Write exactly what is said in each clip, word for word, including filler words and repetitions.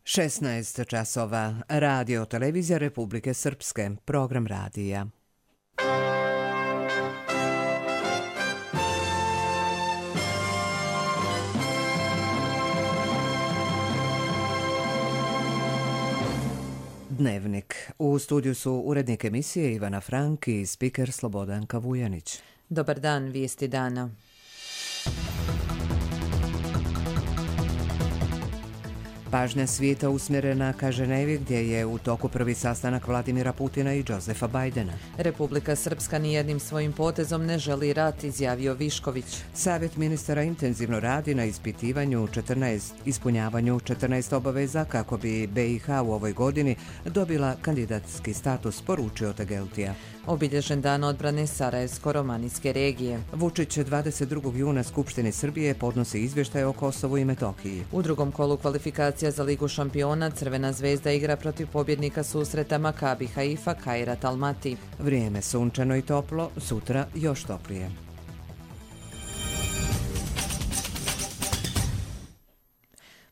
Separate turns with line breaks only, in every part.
šesnaest časova. Radio televizija Republike Srpske. Program radija. Dnevnik. U studiju su urednik emisije Ivana Frank i spiker Slobodanka Vujanić.
Dobar dan, vijesti dana.
Pažnja svijeta usmjerena ka Ženevi gdje je u toku prvi sastanak Vladimira Putina i Josefa Bajdena.
Republika Srpska nijednim svojim potezom ne želi rat, izjavio Višković.
Savjet ministara intenzivno radi na ispitivanju četrnaest, ispunjavanju četrnaest obaveza kako bi B i H u ovoj godini dobila kandidatski status, poručio Tegeltija.
Obilježen dan odbrane Sarajevsko-romanijske regije.
Vučić dvadeset drugog juna Skupštini Srbije podnosi izvještaj o Kosovu i Metohiji.
U drugom kolu kvalifikacija za Ligu šampiona Crvena zvezda igra protiv pobjednika susreta Makabi Haifa Kairat Almati.
Vrijeme sunčano i toplo, sutra još toplije.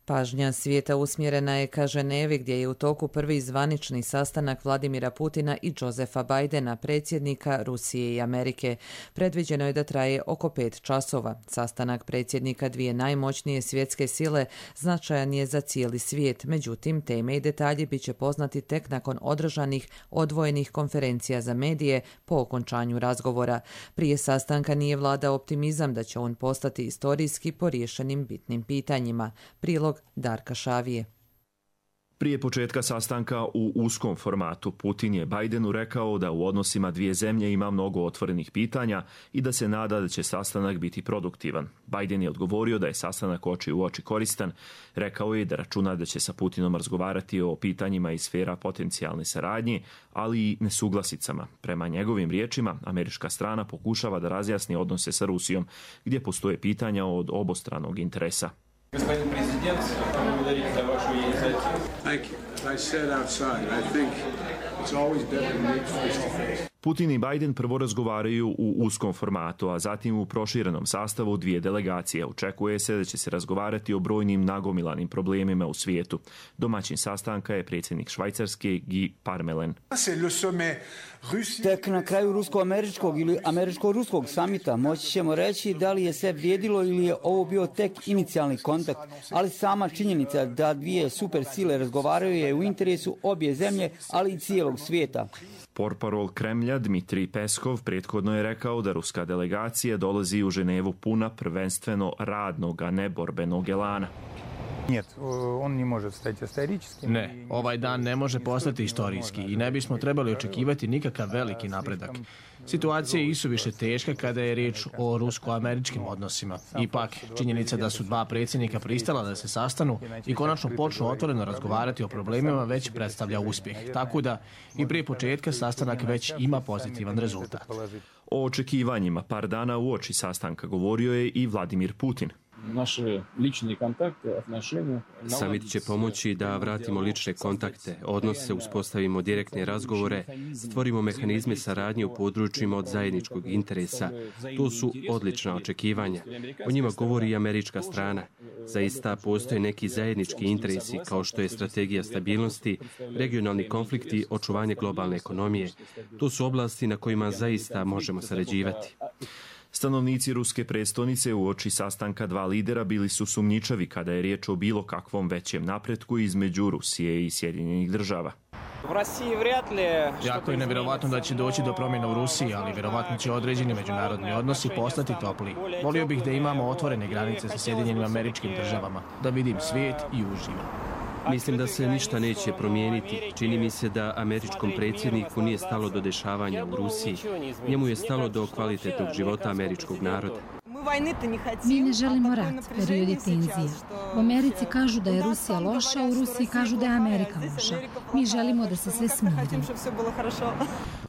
Pažnja svijeta usmjerena je ka Ženevi gdje je u toku prvi zvanični sastanak Vladimira Putina i Josefa Bajdena, predsjednika Rusije i Amerike. Predviđeno je da traje oko pet časova. Sastanak predsjednika dvije najmoćnije svjetske sile značajan je za cijeli svijet, međutim teme i detalji bit će poznati tek nakon održanih odvojenih konferencija za medije po okončanju razgovora. Prije sastanka nije vladao optimizam da će on postati istorijski po riješenim bitnim pitanjima. Prilog Darka Šavije.
Prije početka sastanka u uskom formatu Putin je Bajdenu rekao da u odnosima dvije zemlje ima mnogo otvorenih pitanja i da se nada da će sastanak biti produktivan. Bajden je odgovorio da je sastanak oči u oči koristan. Rekao je da računa da će sa Putinom razgovarati o pitanjima iz sfera potencijalne saradnje, ali i nesuglasicama. Prema njegovim riječima, američka strana pokušava da razjasni odnose sa Rusijom, gdje postoje pitanja od obostranog interesa.
Господин президент, благодарить за вашу инициативу.
Thank you. As I said outside, I think it's always better to meet face to face.
Putin i Bajden prvo razgovaraju u uskom formatu, a zatim u proširenom sastavu dvije delegacije. Očekuje se da će se razgovarati o brojnim nagomilanim problemima u svijetu. Domaćin sastanka je predsjednik Švajcarske Guy Parmelin.
Tek na kraju rusko-američkog ili američko-ruskog samita moći ćemo reći da li je sve vrijedilo ili je ovo bio tek inicijalni kontakt, ali sama činjenica da dvije super sile razgovaraju je u interesu obje zemlje, ali i cijelog svijeta.
Portparol Kremlja Dmitrij Peskov prethodno je rekao da ruska delegacija dolazi u Ženevu puna prvenstveno radnog, a ne borbenog elana.
Ne, ovaj dan ne može postati istorijski i ne bismo trebali očekivati nikakav veliki napredak. Situacija je isuviše teška kada je riječ o rusko-američkim odnosima. Ipak, činjenica da su dva predsjednika pristala da se sastanu i konačno počnu otvoreno razgovarati o problemima već predstavlja uspjeh. Tako da i prije početka sastanak već ima pozitivan rezultat.
O očekivanjima par dana uoči sastanka govorio je i Vladimir Putin.
Samit će pomoći da vratimo lične kontakte, odnose, uspostavimo direktne razgovore, stvorimo mehanizme saradnje u područjima od zajedničkog interesa. To su odlična očekivanja. O njima govori i američka strana. Zaista postoje neki zajednički interesi kao što je strategija stabilnosti, regionalni konflikti, očuvanje globalne ekonomije. To su oblasti na kojima zaista možemo sarađivati.
Stanovnici ruske prestonice uoči sastanka dva lidera bili su sumnjičavi kada je riječ o bilo kakvom većem napretku između Rusije i Sjedinjenih država.
Jako je nevjerovatno da će doći do promjena u Rusiji, ali vjerovatno će određeni međunarodni odnosi postati topliji. Volio bih da imamo otvorene granice sa Sjedinjenim Američkim Državama, da vidim svijet i uživam.
Mislim da se ništa neće promijeniti. Čini mi se da američkom predsjedniku nije stalo do dešavanja u Rusiji. Njemu je stalo do kvalitetnog života američkog naroda.
Mi ne želimo rat, period je tenzija. U Americi kažu da je Rusija loša, u Rusiji kažu da je Amerika loša. Mi želimo da se sve smiri.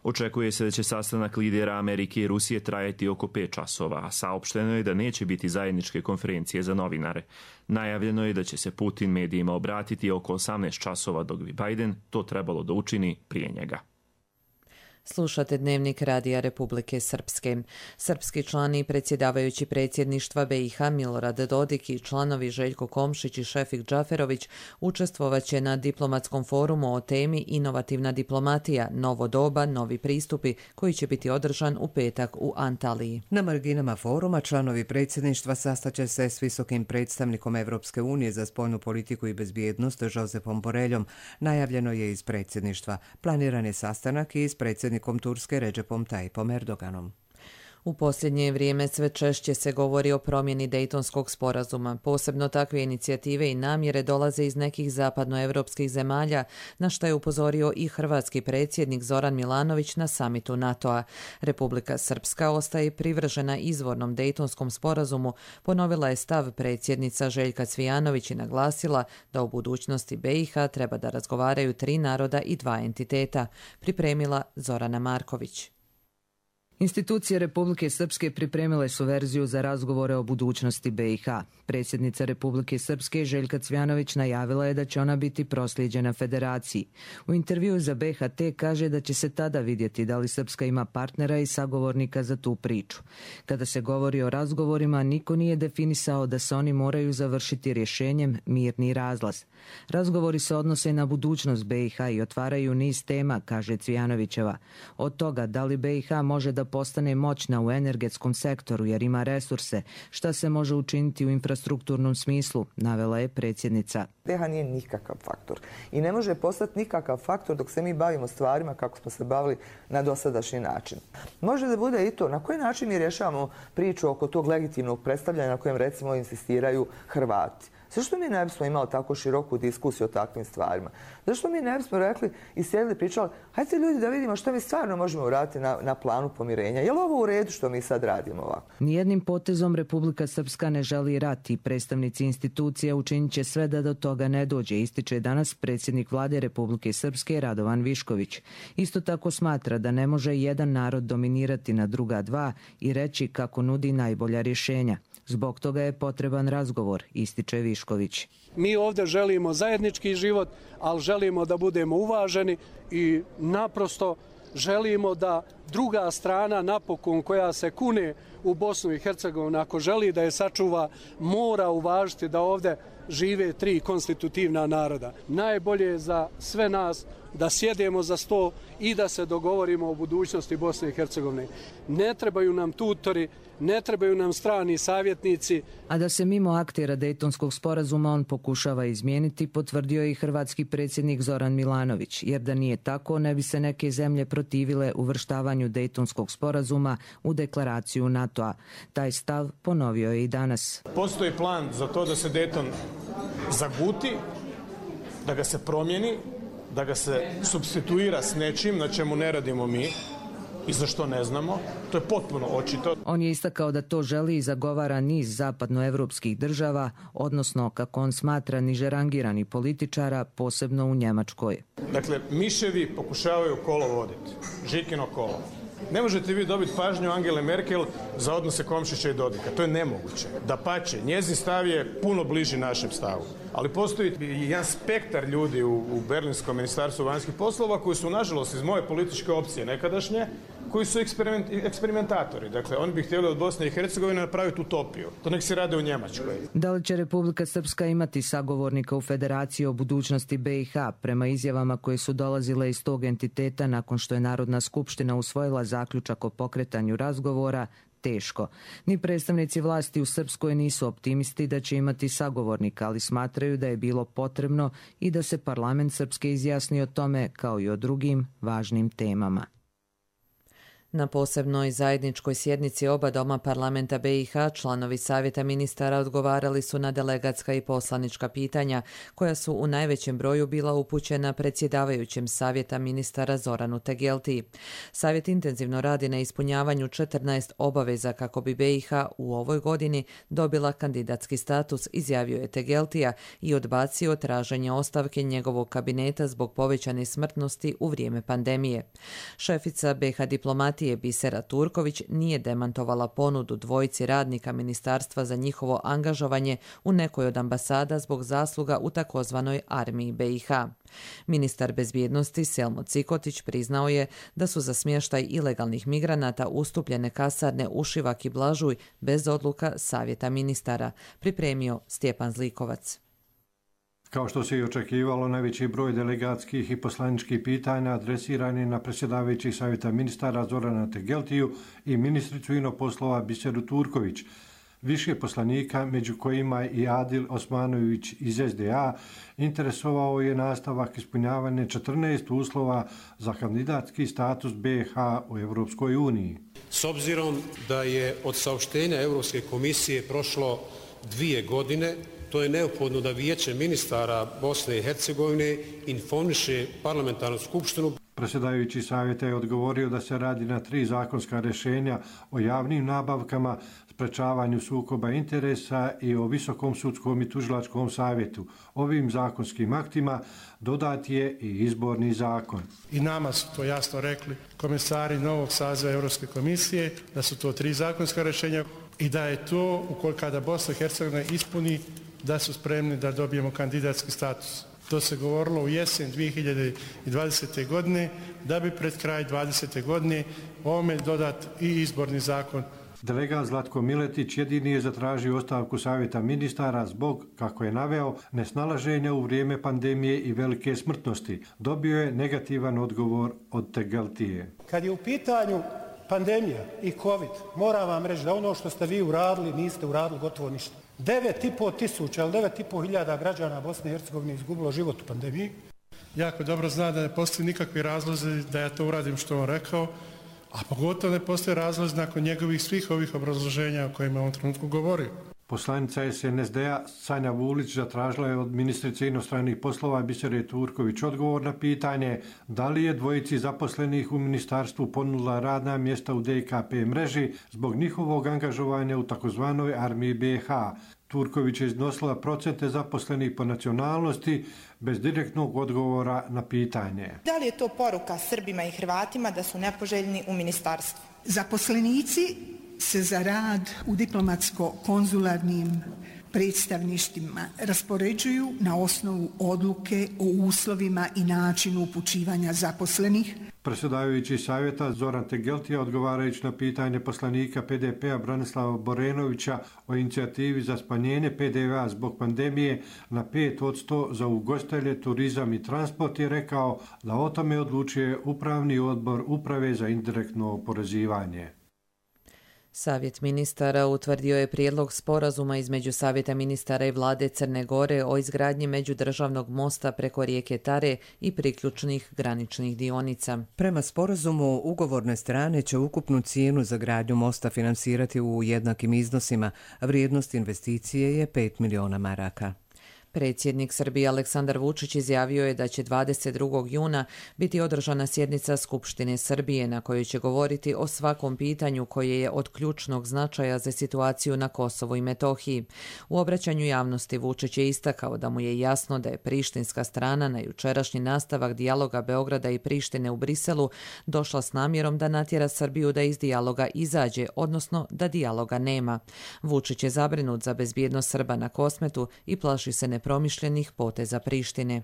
Očekuje se da će sastanak lidera Amerike i Rusije trajati oko pet časova, a saopšteno je da neće biti zajedničke konferencije za novinare. Najavljeno je da će se Putin medijima obratiti oko osamnaest časova, dok bi Bajden to trebalo da učini prije njega.
Slušate Dnevnik Radija Republike Srpske. Srpski član i predsjedavajući predsjedništva B i H Milorad Dodik i članovi Željko Komšić i Šefik Džaferović učestvovaće na diplomatskom forumu o temi Inovativna diplomatija, novo doba, novi pristupi, koji će biti održan u petak u Antaliji.
Na marginama foruma članovi predsjedništva sastaće se s visokim predstavnikom Evropske unije za spoljnu politiku i bezbjednost Josepom Boreljom. Najavljeno je iz predsjedništva. Planiran je sastanak i s predsjednikom Turske Recepom Tayyipom Erdoganom.
U posljednje vrijeme sve češće se govori o promjeni Dejtonskog sporazuma. Posebno takve inicijative i namjere dolaze iz nekih zapadnoevropskih zemalja, na što je upozorio i hrvatski predsjednik Zoran Milanović na samitu NATO-a. Republika Srpska ostaje privržena izvornom Dejtonskom sporazumu, ponovila je stav predsjednica Željka Cvijanović i naglasila da u budućnosti B i H treba da razgovaraju tri naroda i dva entiteta, pripremila Zorana Marković.
Institucije Republike Srpske pripremile su verziju za razgovore o budućnosti B i H. Predsjednica Republike Srpske Željka Cvijanović najavila je da će ona biti proslijeđena federaciji. U intervjuu za B H T kaže da će se tada vidjeti da li Srpska ima partnera i sagovornika za tu priču. Kada se govori o razgovorima, niko nije definisao da se oni moraju završiti rješenjem mirni razlaz. Razgovori se odnose na budućnost B i H i otvaraju niz tema, kaže Cvijanovićeva. Od toga da li B i H može da postane moćna u energetskom sektoru jer ima resurse, šta se može učiniti u infrastrukturnom smislu, navela je predsjednica.
B i H nije nikakav faktor i ne može postati nikakav faktor dok se mi bavimo stvarima kako smo se bavili na dosadašnji način. Može da bude i to na koji način mi rješavamo priču oko tog legitimnog predstavljanja na kojem recimo insistiraju Hrvati. Zašto mi ne bismo imali tako široku diskusiju o takvim stvarima? Zašto mi ne bismo rekli i sjedili pričali, hajde ljudi da vidimo što mi stvarno možemo uraditi na, na planu pomirenja. Je li ovo u redu što mi sad radimo ovako?
Nijednim potezom Republika Srpska ne želi rat i predstavnici institucija učinit će sve da do toga ne dođe, ističe danas predsjednik vlade Republike Srpske Radovan Višković. Isto tako smatra da ne može jedan narod dominirati na druga dva i reći kako nudi najbolja rješenja. Zbog toga je potreban razgovor, ističe Višković.
Mi ovdje želimo zajednički život, ali želimo da budemo uvaženi i naprosto želimo da druga strana napokon koja se kune u Bosnu i Hercegovinu, ako želi da je sačuva, mora uvažiti da ovdje žive tri konstitutivna naroda. Najbolje je za sve nas da sjedemo za sto i da se dogovorimo o budućnosti Bosne i Hercegovine. Ne trebaju nam tutori, ne trebaju nam strani savjetnici.
A da se mimo aktera Dejtonskog sporazuma on pokušava izmijeniti, potvrdio je i hrvatski predsjednik Zoran Milanović, jer da nije tako ne bi se neke zemlje protivile uvrštavanju Dejtonskog sporazuma u deklaraciju NATO-a. Taj stav ponovio je i danas.
Postoji plan za to da se Dejton zaguti, da ga se promijeni, da ga se supstituira s nečim na čemu ne radimo mi i za što ne znamo. To je potpuno očito.
On je istakao da to želi i zagovara niz zapadnoevropskih država, odnosno, kako on smatra, niže rangirani političara, posebno u Njemačkoj.
Dakle, miševi pokušavaju kolo voditi. Žikino kolo. Ne možete vi dobiti pažnju Angele Merkel za odnose Komšića i Dodika. To je nemoguće. Dapače, njezin stav je puno bliži našem stavu. Ali postoji jedan spektar ljudi u, u Berlinskom ministarstvu vanjskih poslova koji su, nažalost, iz moje političke opcije nekadašnje, koji su eksperiment, eksperimentatori. Dakle, oni bi htjeli od Bosne i Hercegovine napraviti utopiju. To nek se rade u Njemačkoj.
Da li će Republika Srpska imati sagovornika u Federaciji o budućnosti B i H prema izjavama koje su dolazile iz tog entiteta nakon što je Narodna skupština usvojila zaključak o pokretanju razgovora? Teško. Ni predstavnici vlasti u Srpskoj nisu optimisti da će imati sagovornika, ali smatraju da je bilo potrebno i da se parlament Srpske izjasni o tome kao i o drugim važnim temama.
Na posebnoj zajedničkoj sjednici oba doma parlamenta B i H članovi Savjeta ministara odgovarali su na delegatska i poslanička pitanja, koja su u najvećem broju bila upućena predsjedavajućem Savjeta ministara Zoranu Tegeltiji. Savjet intenzivno radi na ispunjavanju četrnaest obaveza kako bi B i H u ovoj godini dobila kandidatski status, izjavio je Tegeltija i odbacio traženje ostavke njegovog kabineta zbog povećane smrtnosti u vrijeme pandemije. Šefica B i H diplomatije Tegeltije Bisera Turković nije demantovala ponudu dvojici radnika ministarstva za njihovo angažovanje u nekoj od ambasada zbog zasluga u takozvanoj armiji B i H. Ministar bezbjednosti Selmo Cikotić priznao je da su za smještaj ilegalnih migranata ustupljene kasarne Ušivak i Blažuj bez odluka Savjeta ministara, pripremio Stjepan Zlikovac.
Kao što se i očekivalo, najveći broj delegatskih i poslaničkih pitanja adresiran je na predsjedavajućih Savjeta ministara Zorana Tegeltiju i ministricu inoposlova Biseru Turković. Više poslanika, među kojima i Adil Osmanović iz S D A, interesovao je nastavak ispunjavanja četrnaest uslova za kandidatski status B i H u Europskoj uniji.
S obzirom da je od saopštenja Europske komisije prošlo dvije godine, to je neophodno da Vijeće ministara Bosne i Hercegovine informiše parlamentarnu skupštinu.
Predsjedavajući savjeta je odgovorio da se radi na tri zakonska rješenja o javnim nabavkama, sprečavanju sukoba interesa i o Visokom sudskom i tužilačkom savjetu. Ovim zakonskim aktima dodat je i izborni zakon.
I nama su to jasno rekli komesari novog saziva Europske komisije, da su to tri zakonska rješenja i da je to, ukoliko kada Bosna i Hercegovina ispuni, da su spremni da dobijemo kandidatski status. To se govorilo u jesen dvije hiljade dvadesete. godine, da bi pred kraj dvadesete. godine ovome dodat i izborni zakon.
Delegat Zlatko Miletić jedini je zatražio ostavku Savjeta ministara zbog, kako je naveo, nesnalaženja u vrijeme pandemije i velike smrtnosti. Dobio je negativan odgovor od Tegeltije.
Kad je u pitanju pandemija i COVID, moram vam reći da ono što ste vi uradili, niste uradili gotovo ništa. devet i po tisuća ili devet i po hiljada građana Bosne i Hercegovine izgubilo život u pandemiji. Jako dobro zna da ne postoji nikakvi razlozi da ja to uradim što on rekao, a pogotovo ne postoji razlozi nakon njegovih svih ovih obrazloženja o kojima je u ovom trenutku govorio.
Poslanica S N S D-a Sanja Vulić zatražila je od ministrice inostranih poslova Bisere Turković odgovor na pitanje da li je dvojici zaposlenih u ministarstvu ponudila radna mjesta u D K P mreži zbog njihovog angažovanja u takozvanoj armiji B i H. Turković je iznosila procente zaposlenih po nacionalnosti bez direktnog odgovora na pitanje.
Da li je to poruka Srbima i Hrvatima da su nepoželjni u ministarstvu?
Zaposlenici se za rad u diplomatsko-konzularnim predstavništvima raspoređuju na osnovu odluke o uslovima i načinu upućivanja zaposlenih.
Predsjedavajući savjeta Zoran Tegeltija, odgovarajući na pitanje poslanika P D P-a Branislava Borenovića o inicijativi za smanjenje P D V-a zbog pandemije na pet posto za ugostitelje, turizam i transport, je rekao da o tome odlučuje Upravni odbor Uprave za indirektno oporezivanje.
Savjet ministara utvrdio je prijedlog sporazuma između Savjeta ministara i vlade Crne Gore o izgradnji međudržavnog mosta preko rijeke Tare i priključnih graničnih dionica.
Prema sporazumu, ugovorne strane će ukupnu cijenu za gradnju mosta finansirati u jednakim iznosima. Vrijednost investicije je pet miliona maraka.
Predsjednik Srbije Aleksandar Vučić izjavio je da će dvadeset drugog juna biti održana sjednica Skupštine Srbije na kojoj će govoriti o svakom pitanju koje je od ključnog značaja za situaciju na Kosovu i Metohiji. U obraćanju javnosti Vučić je istakao da mu je jasno da je prištinska strana na jučerašnji nastavak dijaloga Beograda i Prištine u Briselu došla s namjerom da natjera Srbiju da iz dijaloga izađe, odnosno da dijaloga nema. Vučić je zabrinut za bezbjednost Srba na Kosmetu i plaši se ne promišljenih poteza Prištine.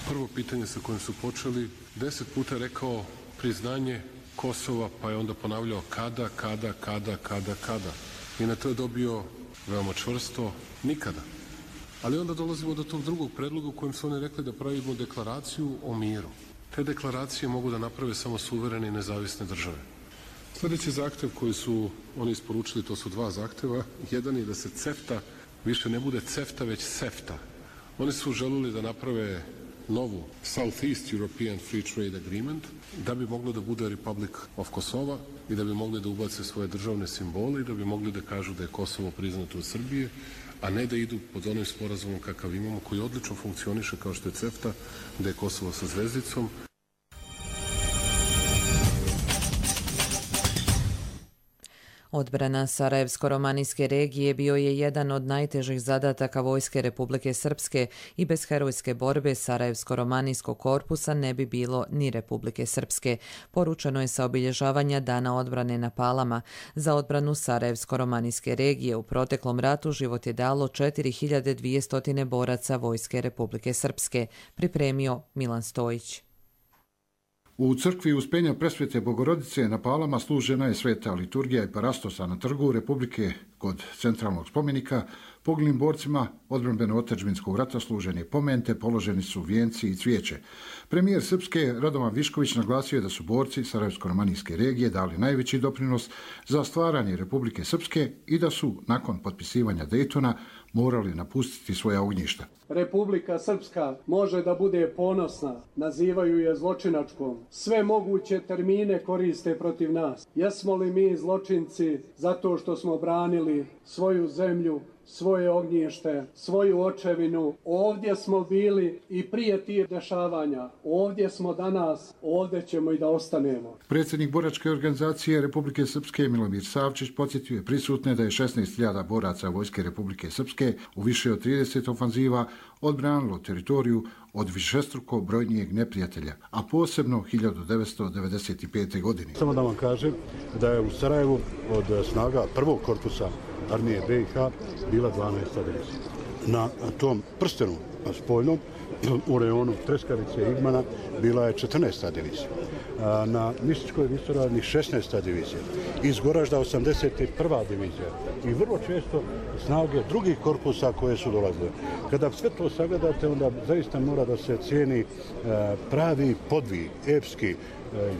Prvo pitanje sa kojim su počeli, deset puta rekao priznanje Kosova, pa je onda ponavljao kada, kada, kada, kada, kada. I na to je dobio veoma čvrsto nikada. Ali onda dolazimo do tog drugog predloga u kojem su oni rekli da pravimo deklaraciju o miru. Te deklaracije mogu da naprave samo suverene i nezavisne države. Sljedeći zahtev koji su oni isporučili, to su dva zahteva. Jedan je da se CEFTA više ne bude CEFTA, već SEFTA. Oni su želeli da naprave novu Southeast European Free Trade Agreement da bi moglo da bude Republic of Kosova i da bi mogli da ubace svoje državne simbole i da bi mogli da kažu da je Kosovo priznato od Srbije, a ne da idu pod onim sporazumom kakav imamo, koji odlično funkcioniše kao što je CEFTA, da je Kosovo sa zvezdicom.
Odbrana Sarajevsko-romanijske regije bio je jedan od najtežih zadataka Vojske Republike Srpske i bez herojske borbe Sarajevsko-romanijskog korpusa ne bi bilo ni Republike Srpske. Poručeno je sa obilježavanja Dana odbrane na Palama. Za odbranu Sarajevsko-romanijske regije u proteklom ratu život je dalo četiri hiljade dvjesto boraca Vojske Republike Srpske, pripremio Milan Stojić.
U crkvi Uspenja Presvete Bogorodice na Palama služena je sveta liturgija i parastosa na Trgu Republike kod centralnog spomenika. Poginulim borcima odbrambeno-otadžbinskog rata služen je pomen te položeni su vijenci i cvijeće. Premijer Srpske Radovan Višković naglasio je da su borci Sarajevsko-romanijske regije dali najveći doprinos za stvaranje Republike Srpske i da su nakon potpisivanja Dejtona morali napustiti svoja ognjišta.
Republika Srpska može da bude ponosna, nazivaju je zločinačkom. Sve moguće termine koriste protiv nas. Jesmo li mi zločinci zato što smo branili svoju zemlju, svoje ognjište, svoju očevinu? Ovdje smo bili i prije tih dešavanja. Ovdje smo danas, ovdje ćemo i da ostanemo.
Predsjednik boračke organizacije Republike Srpske Milomir Savčić podsjetio je prisutne da je šesnaest hiljada boraca Vojske Republike Srpske u više od trideset ofanziva odbranilo teritoriju od višestruko brojnijeg neprijatelja, a posebno hiljadu devetsto devedeset pete. godine.
Samo da vam kažem da je u Sarajevu od snaga prvog korpusa armije B i H bila dvanaesta divizija. Na tom prstenu spoljnom u rejonu Treskarice i Igmana bila je četrnaesta divizija. Na Mističkoj visoravni šesnaesta divizija. Iz Goražda osamdeset prva divizija. I vrlo često snage drugih korpusa koje su dolazile. Kada sve to sagledate, onda zaista mora da se cijeni pravi podvig, epski,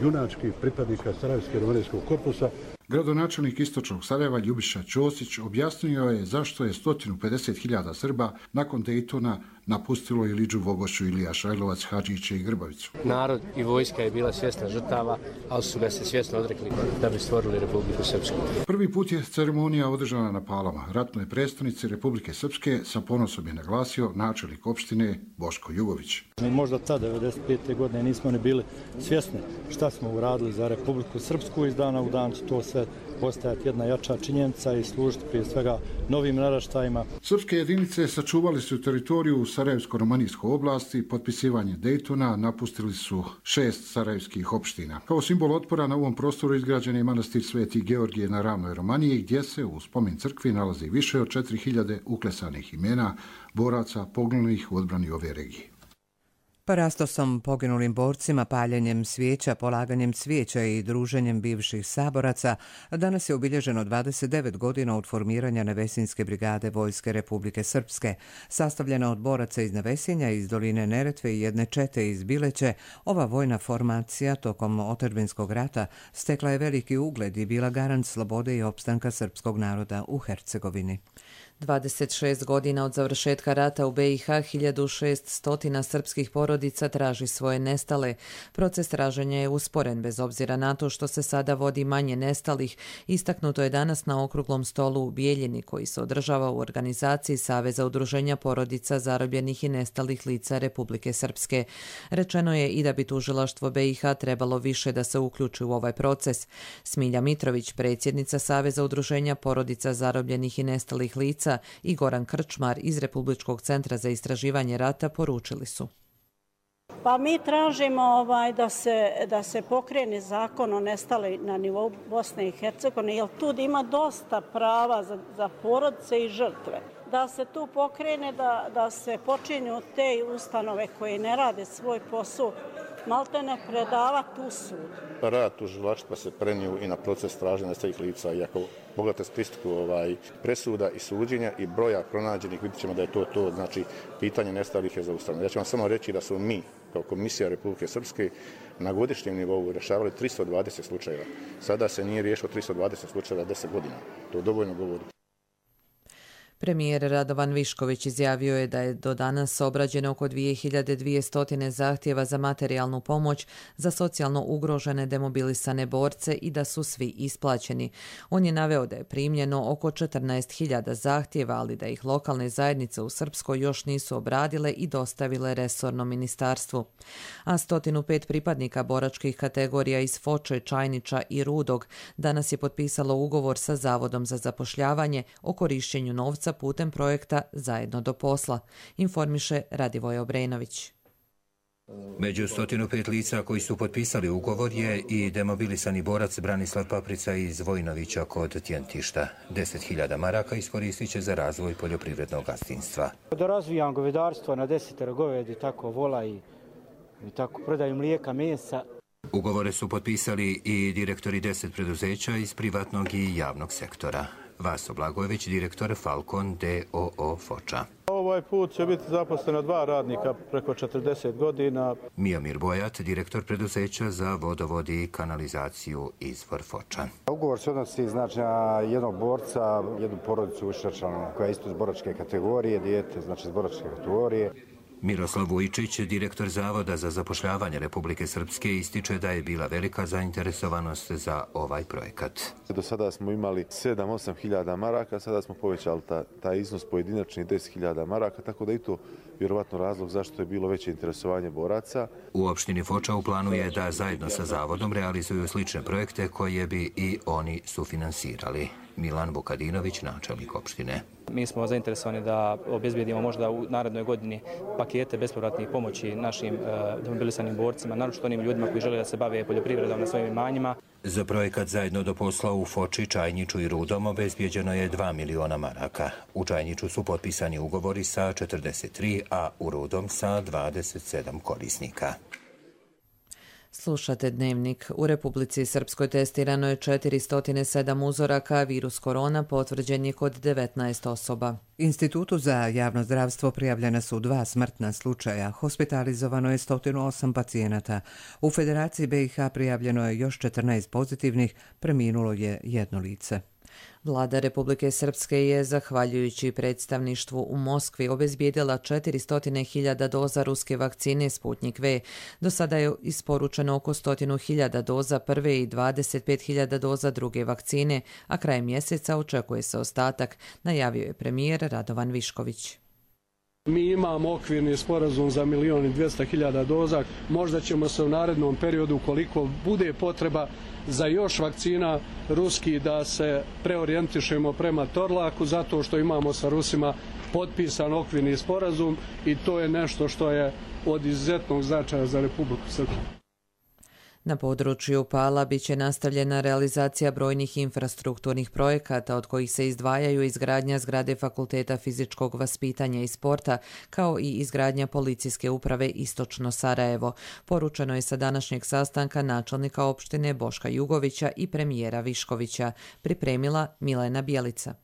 junački pripadnika Sarajevsko-romanijskog korpusa.
Gradonačelnik istočnog Sarajeva Ljubiša Ćosić objasnio je zašto je sto pedeset hiljada Srba nakon Dejtona napustilo Ilidžu, Vogošću, Ilija Šajlovac, Hadžiće i Grbavicu.
Narod i vojska je bila svjesna žrtava, ali su ga se svjesno odrekli da bi stvorili Republiku Srpsku.
Prvi put je ceremonija održana na Palama. Ratnoj predstavnici Republike Srpske sa ponosom je naglasio načelnik opštine Boško Jugović.
Mi možda tad devedeset pete. godine nismo ni bili svjesni šta smo uradili za Republiku Srpsku. Iz dana u dan će to sve postajati jedna jača činjenica i služiti prije svega novim naraštajima.
Srpske jedinice sačuvali su teritoriju u Sarajevsko-romanijskoj oblasti. Potpisivanje Dejtona napustili su šest sarajevskih opština. Kao simbol otpora na ovom prostoru izgrađen je manastir Sveti Georgije na ravnoj Romaniji, gdje se u spomen crkvi nalazi više od četiri hiljade uklesanih imena boraca poginulih u odbrani ove regije.
Parastosom poginulim borcima, paljenjem svijeća, polaganjem cvijeća i druženjem bivših saboraca danas je obilježeno dvadeset devet godina od formiranja Nevesinjske brigade Vojske Republike Srpske. Sastavljena od boraca iz Nevesinja, iz doline Neretve i jedne čete iz Bileće, ova vojna formacija tokom otadžbinskog rata stekla je veliki ugled i bila garant slobode i opstanka srpskog naroda u Hercegovini.
dvadeset šest godina od završetka rata u B i H hiljadu šeststo srpskih porodica traži svoje nestale. Proces traženja je usporen bez obzira na to što se sada vodi manje nestalih. Istaknuto je danas na okruglom stolu u Bijeljini koji se održava u organizaciji Saveza udruženja porodica zarobljenih i nestalih lica Republike Srpske. Rečeno je i da bi tužilaštvo B i H trebalo više da se uključi u ovaj proces. Smilja Mitrović, predsjednica Saveza udruženja porodica zarobljenih i nestalih lica, i Goran Krčmar iz Republičkog centra za istraživanje rata poručili su.
Pa mi tražimo ovaj, da, se, da se pokrene zakon o nestali na nivou Bosne i Hercegovine, jer tu ima dosta prava za, za porodice i žrtve. Da se tu pokrene, da, da se počinju te ustanove koje ne rade svoj posao, malte ne predavati u sud.
Rad tužilaštva se prenio i na proces traženja nestalih lica. I ako pogledate statistiku ovaj, presuda i suđenja i broja pronađenih, vidjet ćemo da je to to, znači pitanje nestalih je zaustavljeno. Ja ću vam samo reći da su mi, kao Komisija Republike Srpske, na godišnjem nivou rješavali tristo dvadeset slučajeva. Sada se nije riješilo tristo dvadeset slučajeva deset godina. To dovoljno govori.
Premijer Radovan Višković izjavio je da je do danas obrađeno oko dvije hiljade dvjesto zahtjeva za materijalnu pomoć za socijalno ugrožene demobilisane borce i da su svi isplaćeni. On je naveo da je primljeno oko četrnaest hiljada zahtjeva, ali da ih lokalne zajednice u Srpskoj još nisu obradile i dostavile resornom ministarstvu. A sto pet pripadnika boračkih kategorija iz Foče, Čajniča i Rudog danas je potpisalo ugovor sa Zavodom za zapošljavanje o korišćenju novca putem projekta Zajedno do posla, informiše Radivoje Obrenović.
Među sto pet lica koji su potpisali ugovor je i demobilisani borac Branislav Paprica iz Vojnovića kod Tjentišta. deset hiljada maraka iskoristit će za razvoj poljoprivrednog gazdinstva.
Da razvijam govedarstvo na desetero govedi, tako vola i, i tako prodaju mlijeka, mesa.
Ugovore su potpisali i direktori deset preduzeća iz privatnog i javnog sektora. Vaso Blagojević, direktor Falcon D O O Foča.
Ovaj put će biti zaposleno dva radnika preko četrdeset godina.
Mijomir Bojat, direktor preduzeća za vodovod i kanalizaciju Izvor Foča.
Ugovor se odnosi znači, na jednog borca, jednu porodicu ušačanu koja je isto iz boračke kategorije, dijete znači iz boračke kategorije.
Miroslav Vujčić, direktor Zavoda za zapošljavanje Republike Srpske, ističe da je bila velika zainteresovanost za ovaj projekat.
Do sada smo imali sedam do osam hiljada maraka, sada smo povećali ta, taj iznos pojedinačni deset hiljada maraka, tako da i to vjerovatno razlog zašto je bilo veće interesovanje boraca.
U opštini Foča u planu je da zajedno sa Zavodom realizuju slične projekte koje bi i oni sufinansirali. Milan Vukadinović, načelnik opštine.
Mi smo zainteresovani da obezbijedimo možda u narednoj godini pakete bespovratnih pomoći našim demobilisanim borcima, naročito onim ljudima koji žele da se bave poljoprivredom na svojim imanjima.
Za projekat Zajedno do posla u Foči, Čajniču i Rudom obezbijeđeno je dva miliona maraka. U Čajniču su potpisani ugovori sa četrdeset tri, a u Rudom sa dvadeset sedam korisnika.
Slušate Dnevnik. U Republici Srpskoj testirano je četiristo sedam uzoraka, a virus korona potvrđen je kod devetnaest osoba.
Institutu za javno zdravstvo prijavljena su dva smrtna slučaja. Hospitalizovano je sto osam pacijenata. U Federaciji B i H prijavljeno je još četrnaest pozitivnih, preminulo je jedno lice.
Vlada Republike Srpske je, zahvaljujući predstavništvu u Moskvi, obezbijedila četiristo hiljada doza ruske vakcine Sputnik V. Do sada je isporučeno oko sto hiljada doza prve i dvadeset pet hiljada doza druge vakcine, a krajem mjeseca očekuje se ostatak, najavio je premijer Radovan Višković.
Mi imamo okvirni sporazum za milijon i dvjesto hiljada doza. Možda ćemo se u narednom periodu, koliko bude potreba za još vakcina ruski, da se preorijentišemo prema Torlaku, zato što imamo sa Rusima potpisan okvirni sporazum i to je nešto što je od izuzetnog značaja za Republiku Srpsku.
Na području Pala biće nastavljena realizacija brojnih infrastrukturnih projekata, od kojih se izdvajaju izgradnja zgrade Fakulteta fizičkog vaspitanja i sporta, kao i izgradnja policijske uprave Istočno Sarajevo. Poručeno je sa današnjeg sastanka načelnika opštine Boška Jugovića i premijera Viškovića. Pripremila Milena Bjelica.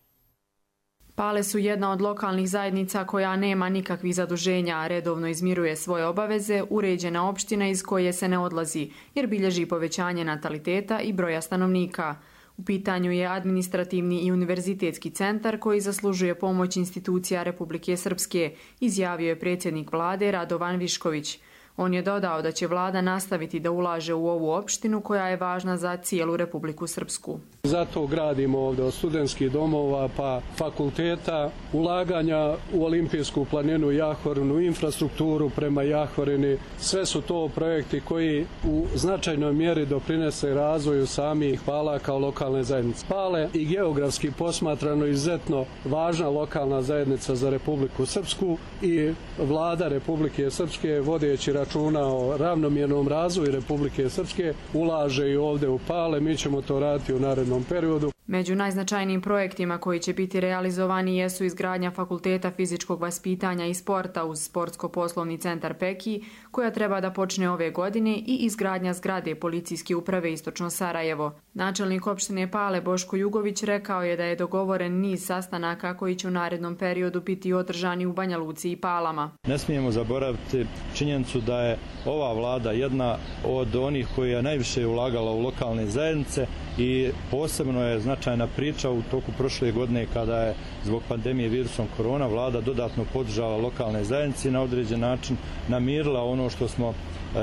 Pale su jedna od lokalnih zajednica koja nema nikakvih zaduženja, a redovno izmiruje svoje obaveze, uređena opština iz koje se ne odlazi, jer bilježi povećanje nataliteta i broja stanovnika. U pitanju je administrativni i univerzitetski centar koji zaslužuje pomoć institucija Republike Srpske, izjavio je predsjednik vlade Radovan Višković. On je dodao da će vlada nastaviti da ulaže u ovu opštinu koja je važna za cijelu Republiku Srpsku.
Zato gradimo ovdje od studentskih domova pa fakulteta, ulaganja u olimpijsku planinu Jahorinu, infrastrukturu prema Jahorini. Sve su to projekti koji u značajnoj mjeri doprinese razvoju samih Pala kao lokalne zajednice. Pale i geografski posmatrano izuzetno važna lokalna zajednica za Republiku Srpsku i vlada Republike Srpske, vodeći računa o ravnomjernom razvoju Republike Srpske, ulaže i ovdje u Pale. Mi ćemo to raditi u narednom periodu.
Među najznačajnijim projektima koji će biti realizovani jesu izgradnja Fakulteta fizičkog vaspitanja i sporta uz Sportsko-poslovni centar Peki, koja treba da počne ove godine, i izgradnja zgrade policijske uprave Istočno Sarajevo. Načelnik opštine Pale Boško Jugović rekao je da je dogovoren niz sastanaka koji će u narednom periodu biti održani u Banja Luci i Palama.
Ne smijemo zaboraviti činjenicu da je ova vlada jedna od onih koja je najviše ulagala u lokalne zajednice i posebno je značajno značajna priča u toku prošle godine kada je zbog pandemije virusom korona vlada dodatno podržala lokalne zajednice i na određen način namirila ono što smo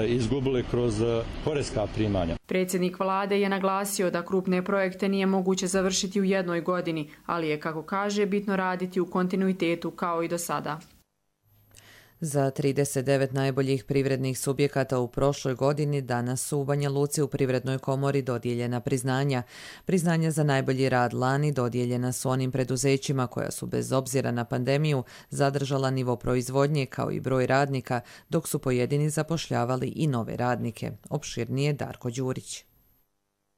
izgubili kroz poreska primanja.
Predsjednik vlade je naglasio da krupne projekte nije moguće završiti u jednoj godini, ali je, kako kaže, bitno raditi u kontinuitetu kao i do sada.
Za trideset devet najboljih privrednih subjekata u prošloj godini danas su u Banja Luci u Privrednoj komori dodijeljena priznanja. Priznanja za najbolji rad lani dodijeljena su onim preduzećima koja su bez obzira na pandemiju zadržala nivo proizvodnje kao i broj radnika, dok su pojedini zapošljavali i nove radnike. Opširnije Darko Đurić.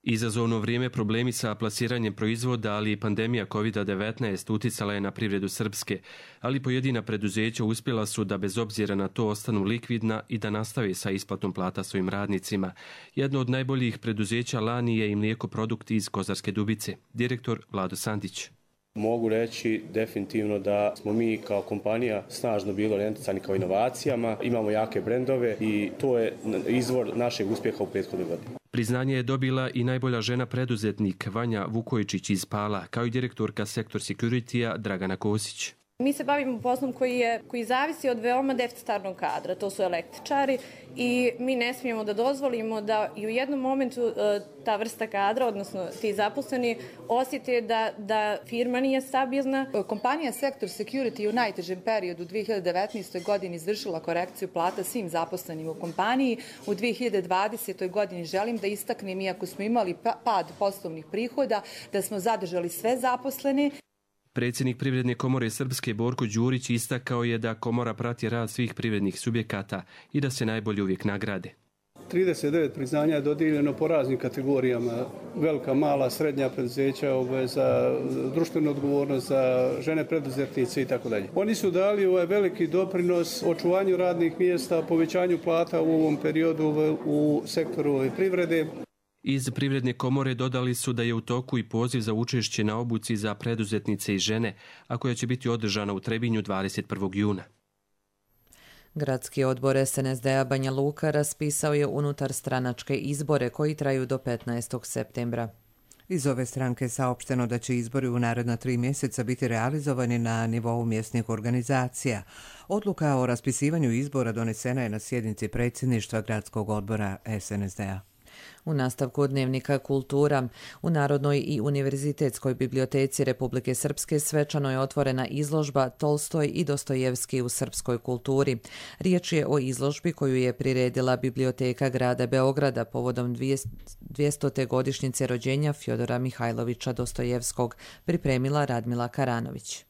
Izazovno vrijeme problemi sa plasiranjem proizvoda, ali i pandemija kovid devetnaest uticala je na privredu Srpske, ali pojedina preduzeća uspjela su da bez obzira na to ostanu likvidna i da nastave sa isplatom plata svojim radnicima. Jedno od najboljih preduzeća lani je i Mlijeko produkt iz Kozarske Dubice, direktor Vlado Sandić.
Mogu reći definitivno da smo mi kao kompanija snažno bili orijentisani kao inovacijama, imamo jake brendove i to je izvor našeg uspjeha u prethodnoj godini.
Priznanje je dobila i najbolja žena preduzetnik Vanja Vukojičić iz Pala, kao i direktorka sektor security-a Dragana Kosić.
Mi se bavimo poslom koji, je, koji zavisi od veoma deficitarnog kadra, to su električari i mi ne smijemo da dozvolimo da i u jednom momentu ta vrsta kadra, odnosno ti zaposleni, osjete da, da firma nije stabilna.
Kompanija Sektor Security u najtežem periodu u dvije hiljade devetnaestoj. godini izvršila korekciju plata svim zaposlenim u kompaniji. U dvije hiljade dvadesetoj. godini želim da istaknem, iako smo imali pad poslovnih prihoda, da smo zadržali sve zaposlene.
Predsjednik Privredne komore Srpske Borko Đurić istakao je da komora prati rad svih privrednih subjekata i da se najbolje uvijek nagrade.
trideset devet priznanja je dodijeljeno po raznim kategorijama, velika, mala, srednja preduzeća, za društvenu odgovornost, za žene preduzetnice i tako dalje. Oni su dali ovaj veliki doprinos očuvanju radnih mjesta, povećanju plata u ovom periodu u sektoru privrede.
Iz Privredne komore dodali su da je u toku i poziv za učešće na obuci za preduzetnice i žene, a koja će biti održana u Trebinju dvadeset prvog juna.
Gradski odbor S N S D-a Banja Luka raspisao je unutar stranačke izbore koji traju do petnaestog septembra.
Iz ove stranke je saopšteno da će izbori u naredna tri mjeseca biti realizovani na nivou mjesnih organizacija. Odluka o raspisivanju izbora donesena je na sjednici predsjedništva Gradskog odbora S N S D-a.
U nastavku dnevnika Kultura, u Narodnoj i univerzitetskoj biblioteci Republike Srpske svečano je otvorena izložba Tolstoj i Dostojevski u srpskoj kulturi. Riječ je o izložbi koju je priredila Biblioteka grada Beograda povodom dvjestote godišnjice rođenja Fjodora Mihajlovića Dostojevskog, pripremila Radmila Karanović.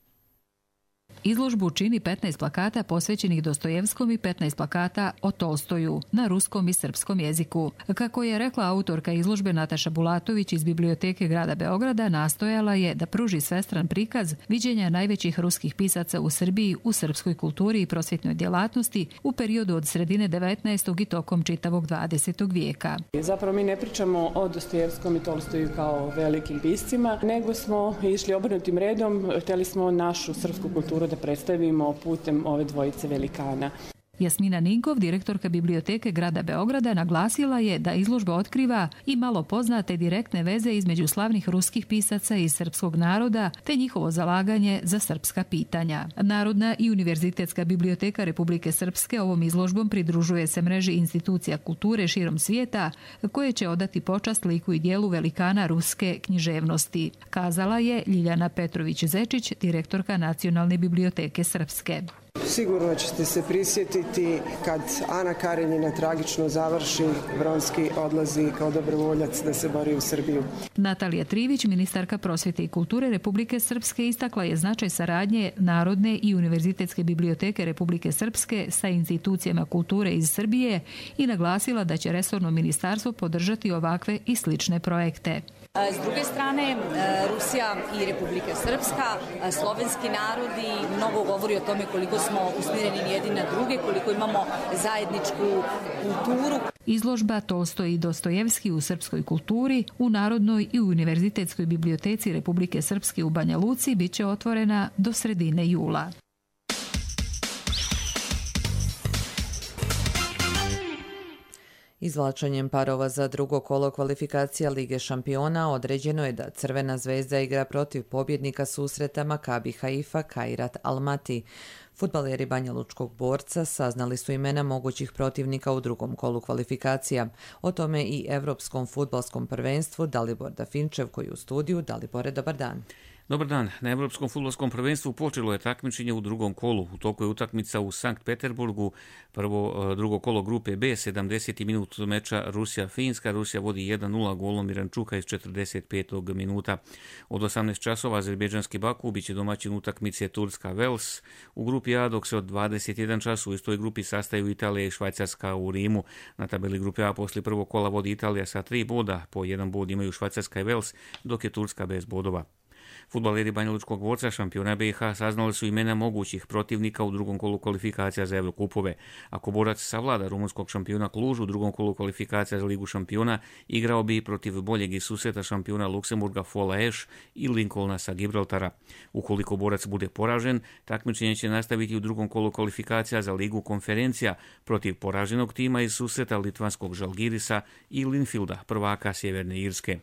Izložbu čini petnaest plakata posvećenih Dostojevskom i petnaest plakata o Tolstoju na ruskom i srpskom jeziku. Kako je rekla autorka izložbe Nataša Bulatović iz Biblioteke grada Beograda, nastojala je da pruži svestran prikaz viđenja najvećih ruskih pisaca u Srbiji u srpskoj kulturi i prosvjetnoj djelatnosti u periodu od sredine devetnaestog i tokom čitavog dvadesetog vijeka.
Zapravo mi ne pričamo o Dostojevskom i Tolstoju kao velikim piscima, nego smo išli obrnutim redom, htjeli smo našu srpsku kulturu da predstavimo putem ove dvojice velikana.
Jasmina Ninkov, direktorka Biblioteke grada Beograda, naglasila je da izložba otkriva i malo poznate direktne veze između slavnih ruskih pisaca i srpskog naroda, te njihovo zalaganje za srpska pitanja. Narodna i univerzitetska biblioteka Republike Srpske ovom izložbom pridružuje se mreži institucija kulture širom svijeta, koje će odati počast liku i dijelu velikana ruske književnosti, kazala je Ljiljana Petrović-Zečić, direktorka Nacionalne biblioteke Srpske.
Sigurno ćete se prisjetiti kad Ana Karenjina tragično završi, Vronski odlazi kao dobrovoljac da se bori u Srbiju.
Natalija Trivić, ministarka prosvjete i kulture Republike Srpske, istakla je značaj saradnje Narodne i univerzitetske biblioteke Republike Srpske sa institucijama kulture iz Srbije i naglasila da će resorno ministarstvo podržati ovakve i slične projekte.
S druge strane, Rusija i Republika Srpska, slovenski narodi, mnogo govori o tome koliko smo usmjereni jedni na druge, koliko imamo zajedničku kulturu.
Izložba Tolstoj i Dostojevski u srpskoj kulturi u Narodnoj i univerzitetskoj biblioteci Republike Srpske u Banja Luci bit će otvorena do sredine jula.
Izvlačenjem parova za drugo kolo kvalifikacija Lige šampiona određeno je da Crvena zvezda igra protiv pobjednika susreta Makabi Haifa Kairat Almati. Fudbaleri Banjalučkog Borca saznali su imena mogućih protivnika u drugom kolu kvalifikacija. O tome i Evropskom fudbalskom prvenstvu Dalibor Dafinčev koji je u studiju. Dalibore, dobar dan.
Dobar dan. Na Evropskom fudbalskom prvenstvu počelo je takmičenje u drugom kolu. U toku je utakmica u Sankt Peterburgu. Prvo, drugo kolo grupe B, sedamdeseti minut meča Rusija-Finska. Rusija vodi jedan nula golom Irančuka iz četrdeset petog minuta. Od osamnaest časova azerbejdžanski Baku biće domaćin utakmice Turska-Vels. U grupi A, dok se od dvadeset jedan čas u istoj grupi sastaju Italija i Švajcarska u Rimu. Na tabeli grupe A poslije prvog kola vodi Italija sa tri boda. Po jedan bod imaju Švajcarska i Vels, dok je Turska bez bodova. Fudbaleri Banjalučkog Borca, šampiona B i H, saznali su imena mogućih protivnika u drugom kolu kvalifikacija za Evrokupove. Ako Borac savlada rumunskog šampiona Kluž u drugom kolu kvalifikacija za Ligu šampiona, igrao bi protiv boljeg i susreta šampiona Luksemburga Fola Eš i Lincolna sa Gibraltara. Ukoliko Borac bude poražen, takmičenje će nastaviti u drugom kolu kvalifikacija za Ligu konferencija protiv poraženog tima iz susreta litvanskog Žalgirisa i Linfielda, prvaka Sjeverne Irske.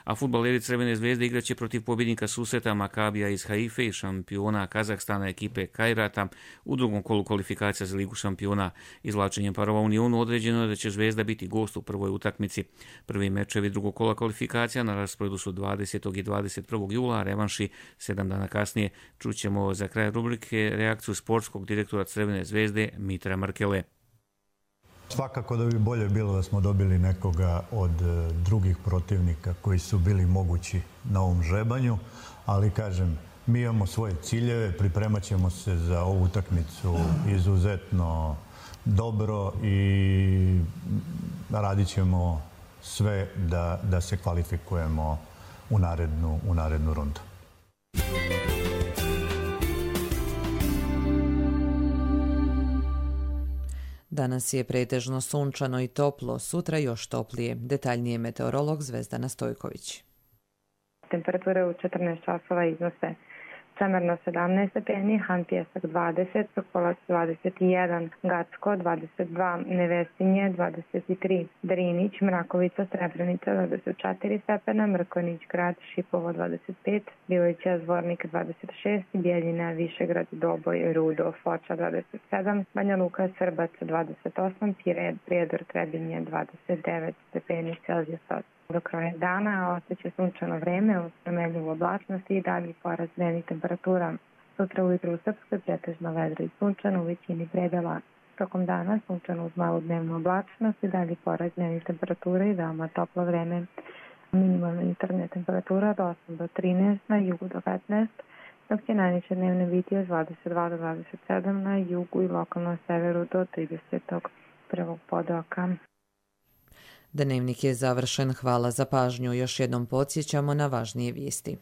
A fudbaleri Crvene zvezde igraće protiv pobjednika susreta Makabija iz Haife i šampiona Kazahstana ekipe Kairata u drugom kolu kvalifikacija za Ligu šampiona. Izvlačenjem parova Unionu određeno je da će Zvezda biti gost u prvoj utakmici. Prvi mečevi drugog kola kvalifikacija na rasporedu su dvadesetog i dvadeset prvog jula, a revanši sedam dana kasnije. Čućemo za kraj rubrike reakciju sportskog direktora Crvene zvezde Mitra Mrkele.
Svakako da bi bolje bilo da smo dobili nekoga od drugih protivnika koji su bili mogući na ovom žrebanju, ali kažem, mi imamo svoje ciljeve, pripremat ćemo se za ovu utakmicu izuzetno dobro i radit ćemo sve da, da se kvalifikujemo u narednu, u narednu rundu.
Danas je pretežno sunčano i toplo, sutra još toplije. Detaljnije meteorolog Zvezdana Stojković.
Temperature u četrnaest časova iznose Čemerno sedamnaest stepeni, Han Pjesak dvadeset, Sokolac dvadeset jedan, Gacko dvadeset dva, Nevesinje dvadeset tri, Drinić, Mrakovica, Srebrenica dvadeset četiri stepena, Mrkonić, Grad, Šipovo dvadeset pet, Bilića, Zvornik dvadeset šest, Bijeljina, Višegrad, Doboj, Rudo, Foča dvadeset sedam, Banja Luka, Srbac dvadeset osam, Pired, Prijedor, Trebinje dvadeset devet stepeni Celzijusa. Do kraja dana ostaće sunčano vreme uz promenljivu oblačnost i dalji porast dnevnih temperatura. Sutra ujutru u Srpskoj pretežno vedro i sunčano u većini predela. Tokom dana sunčano uz malu dnevnu oblačnost i dalji porast dnevnih temperatura i veoma toplo vreme. Minimalna jutarnja temperatura od osam do trinaest, na jugu do petnaest, dok će najniže dnevne biti od dvadeset dva do dvadeset sedam, na jugu i lokalno severu do tridesetog prvog podoka.
Dnevnik je završen. Hvala za pažnju. Još jednom podsjećamo na važnije vijesti.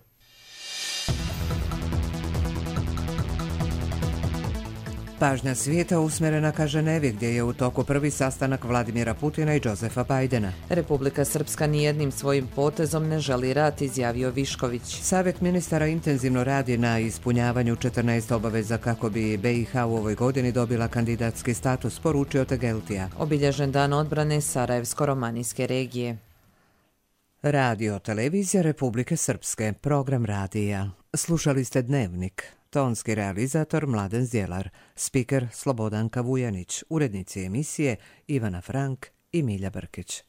Pažnja svijeta usmjerena ka Ženevi, gdje je u toku prvi sastanak Vladimira Putina i Josefa Bajdena.
Republika Srpska nijednim svojim potezom ne želi rat, izjavio Višković.
Savjet ministara intenzivno radi na ispunjavanju četrnaest obaveza kako bi B i H u ovoj godini dobila kandidatski status, poručio Tegeltija.
Obilježen dan odbrane Sarajevsko-romanijske regije.
Radio televizija Republike Srpske, program radija. Slušali ste Dnevnik. Tonski realizator Mladen Zjelar, spiker Slobodanka Vujanić, urednici emisije Ivana Frank i Milja Brkić.